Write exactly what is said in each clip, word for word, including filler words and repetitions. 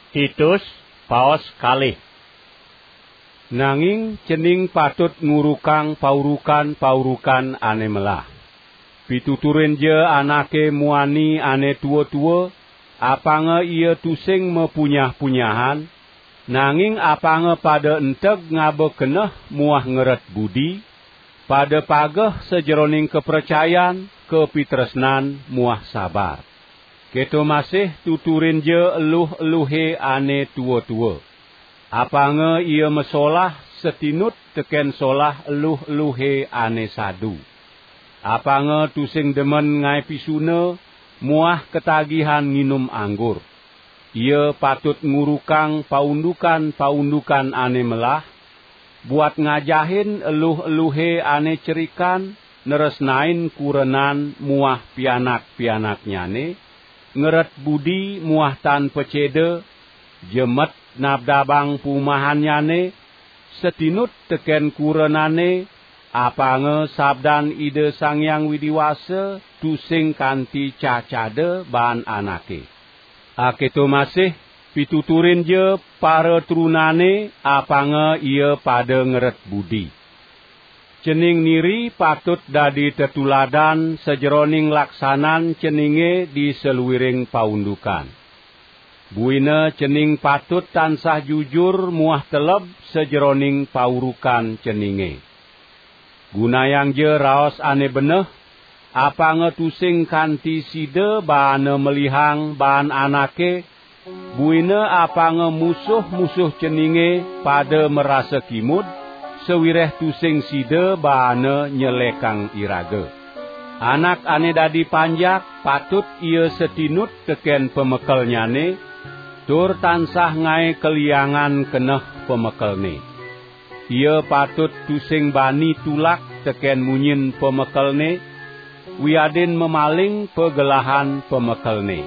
Titus, paos kalih. Nanging cening patut ngurukang paurukan-paurukan ane melah. Pituturinja anake muani ane tua-tua, apanga ia tusing mapunyah-punyahan, nanging apanga pada enteg ngaba keneh muah ngeret budi, pada pageh sajeroning kapracayan, kapitresnan, muah sabar. Keto masih tuturinja eluh-eluhe ane tua-tua. Apanga ia masolah satinut teken solah eluh-eluhe ane sadu. Apanga tusing demen ngae pisuna muah katagihan nginum anggur. Ia patut ngurukang paundukan-paundukan ane melah, buat ngajahin eluh-eluhe ane cerikan, nresnain kurenan muah pianak-pianaknyane, ngeret budi muah tan paceda, jemet nabdabang pumahannyane, satinut teken kurenane, apanga sabdan Ida Sang Hyang Widi Wasa tusing kanti cacada baan anake. Aketo masih, pituturinja paratrunane, apanga ia pada ngeret budi. Cening niri patut dadi tetuladan sajeroning laksanan ceninge di saluiring paundukan. Buina cening patut tansah jujur muah teleb sajeroning paurukan ceninge. Gunayangja raos ane beneh, apanga tusing kanti sida baana melihang baan anake, buina apanga musuh-musuh ceninge pada marasa kimud, sawireh tusing sida baana nyelekang iraga. Anak ane dadi panjak patut ia satinut teken pamekelnyane, tur tansah ngae kaliangan keneh pamekelne. Ia patut tusing bani tulak teken munyin pamekelne, wiadin mamaling pagelahan pamekelne.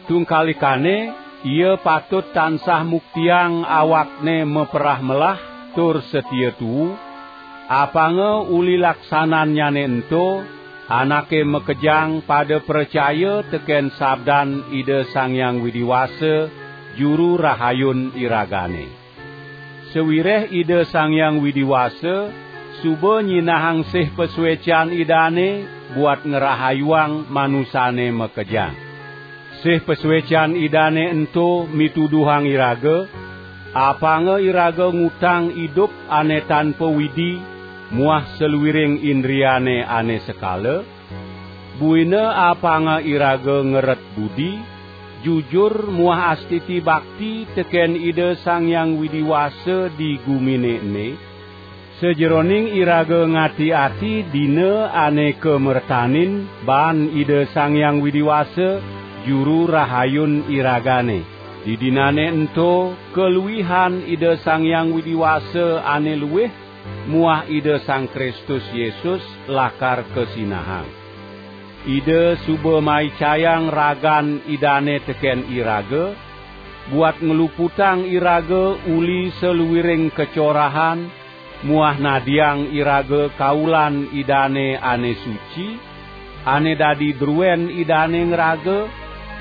Tungkalikane, ia patut tansah muktiang awakne maperah melah tur satia tuu, apanga uli laksanannyane ento, anake makejang pada pracaya teken sabdan Ida Sang Hyang Widi Wasa, Juru Rahayun iragane. Sawireh Ida Sang Hyang Widi Wasa suba nyinahang sih pasuecan Idane buat ngrahayuang manusane makejang. Sih pasuecan Idane ento mituduhang iraga, apanga iraga ngutang idup ane tanpa widi muah saluiring indriane ane sekala, buina apanga iraga ngeret budi, jujur muah astiti bakti teken Ida Sang Hyang Widi Wasa di gumine ene, sajeroning iraga ngati-ati dina ane kamertanin baan Ida Sang Hyang Widi Wasa, Juru Rahayun iragane. Didinane ento kaluihan Ida Sang Hyang Widi Wasa ane luih muah Ida Sang Kristus Yesus lakar kasinahang. Ida suba maicayang ragan Idane teken iraga, buat ngluputang iraga uli saluiring kacorahan, muah nadiang iraga kaulan Idane ane suci, ane dadi druen Idane ngraga,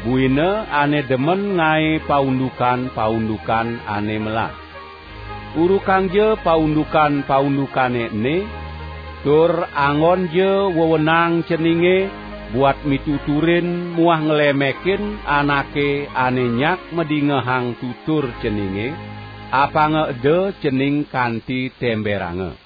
buina ane demen ngae paundukan-paundukan ane melah. Urukangja paundukan-paundukane ene, tur anggonja wewenang ceninge buat mituturin muah nglemekin anake ane nyak madingehang tutur ceninge, apanga eda cening kanti temberanga.